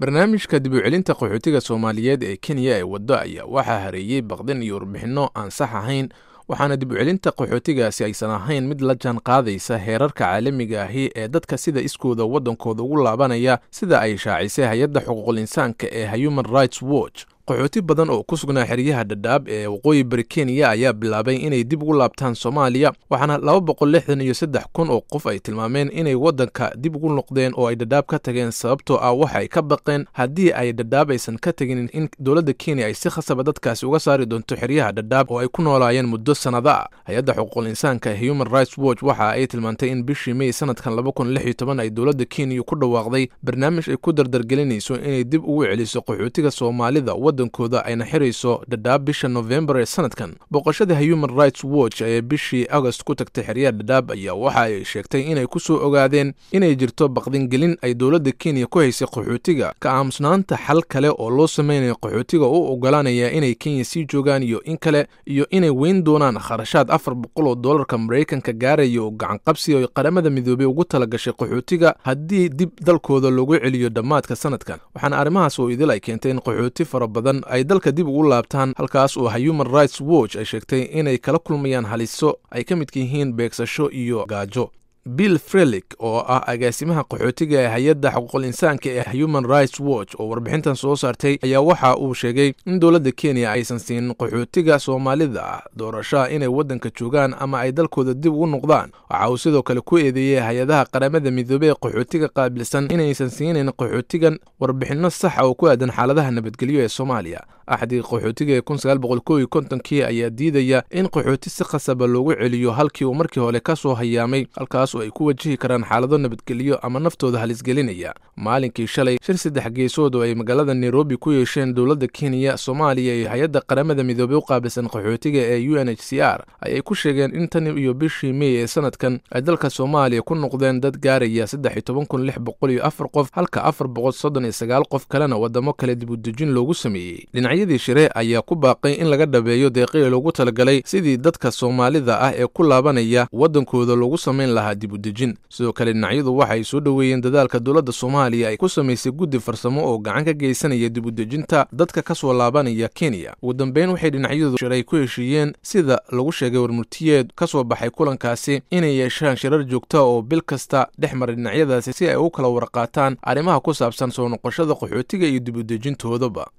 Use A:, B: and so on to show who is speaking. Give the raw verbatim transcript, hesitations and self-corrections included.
A: Barnaamijka dib u celinta qaxootiga Soomaaliyeed ee Kenya ee waddo ayaa waxaa hareeyay baqdin iyo warbixinno aan sax ahayn, waxaana dib u celinta qaxootigaasi aysan ahayn mid la jaan qaadaysa heerarka caalamiga ahi ee dadka sida iskooda waddankooda ugu laabanaya, sida ay shaacisay hay-adda xuquuqul insaanka ee Human Rights Watch. Qaxooti badan oo ku sugnaa xeryaha Dhadhaab ee waqooyi bari Kenya ayaa bilaabay inay dib ugu laabtaan Soomaaliya, waxaana laba boqol lixdan iyo saddex kun oo qof ay tilmaameen inay waddanka dib ugu noqdeen oo ay Dhadhaab ka tageen, sababtoo ah waxa ay ka baqeen haddii ay Dhadhaab aysan ka tegin in dowladda Kenya ay si khasaba dadkaasi uga saari doonto xeryaha Dhadhaab oo ay ku noolaayeen muddo sannado ah. Hay-adda xuquuqul insaanka Human Rights Watch waxa ay tilmaantay in bishii May sanadkan laba kun lix iyo toban ay dowladda Kenya ku dhawaaqday barnaamij ay ku dardargelinayso inay dib ugu celiso qaxootiga Soomaalida waddankooda, ayna xirayso Dhadhaab bisha Novembar ee sanadkan. Booqashada Human Rights Watch ee bishii Agost ku tagtay xeryaha Dhadhaab ayaa waxa ay sheegtay inay ku soo ogaadeen inay jirto baqdingelin ay dowladda Kenya ku haysay qaxootiga, ka aamusnaanta xal kale oo loo sameynayo qaxootiga u ogolaanaya inay Kenya sii joogaan iyo in kale, iyo inay weyn doonaan kharashaad afar boqol oo doolarka Maraykanka gaaraya oo gacanqabsi oo Qaramada Midoobey ugu talagashay qaxootiga haddii dib dalkooda loogu celiyo dhammaadka sanadkan. Waxaana arrimahaas oo idil ay keentay in qaxooti fara badan ay dalka dib ugu laabtaan, halkaas oo Human Rights Watch ay sheegtay inay kala kulmayaan haliso ay ka midka yihiin beegsasho iyo gaajo. Bill Frelick oo ah agaasimaha qaxootiga ee hay-adda xuquuqul insaanka ee Human Rights Watch oo warbixintan soo saartay ayaa waxa uu sheegay in dowladda Kenya aysan siinin qaxootiga Soomaalida ah doorashaha inay waddanka joogaan ama ay dalkooda dib ugu noqdaan. Waxa uu sidoo kale ku eedeeyey hay-adaha Qaramada Midoobey ee qaxootiga qaabilsan inaysan siinin qaxootigan warbixinno saxa oo ku aadan xaaladaha nabadgelyo ee Soomaaliya. Axdiga qaxootiga ee kun sagaal boqol kow iyo kontonkii ayaa diidaya in qaxooti si khasaba loogu celiyo halkii uu markii hore ka soo hayaamay, halkaas oo ay ku wajihi karaan xaalado nabadgelyo ama naftooda halisgelinaya. Maalinkii shalay, shir saddex geesood oo ay magaalada Nairobi ku yeesheen dowladda Kenya, Soomaaliya iyo hay-adda Qaramada Midoobey u qaabilsan qaxootiga ee U N H C R ayay ku sheegeen in tan iyo bishii May ee sanadkan ay dalka Soomaaliya ku noqdeen dad gaaraya saddex iyo toban kun lix boqol iyo afar qof, halka afar boqol soddon iyo sagaal qof kalena waddamo kale dib u dejin loogu sameeyey. Dhinacyadii shire ayaa ku baaqay in laga dhabeeyo deeqii loogu talagalay sidii dadka Soomaalida ah ee ku laabanaya waddankooda loogu samayn lahaa dib u dejin. Sidoo kale dhinacyadu waxay soo dhoweeyeen dadaalka dowladda Soomaaliya ay ku samaysay guddi farsamo oo gacan ka geysanaya dib u dejinta dadka ka soo laabanaya Kenya. Ugu dambeyn, waxay dhinacyadu shiray ku heshiiyeen, sida lagu sheegay warmurtiyeed ka soo baxay kulankaasi, inay yeeshaan shirar joogta oo bil kasta dhex mara dhinacyadaasi si ay u kala warqaataan arrimaha ku saabsan soo noqoshada qaxootiga iyo dib u dejintoodaba.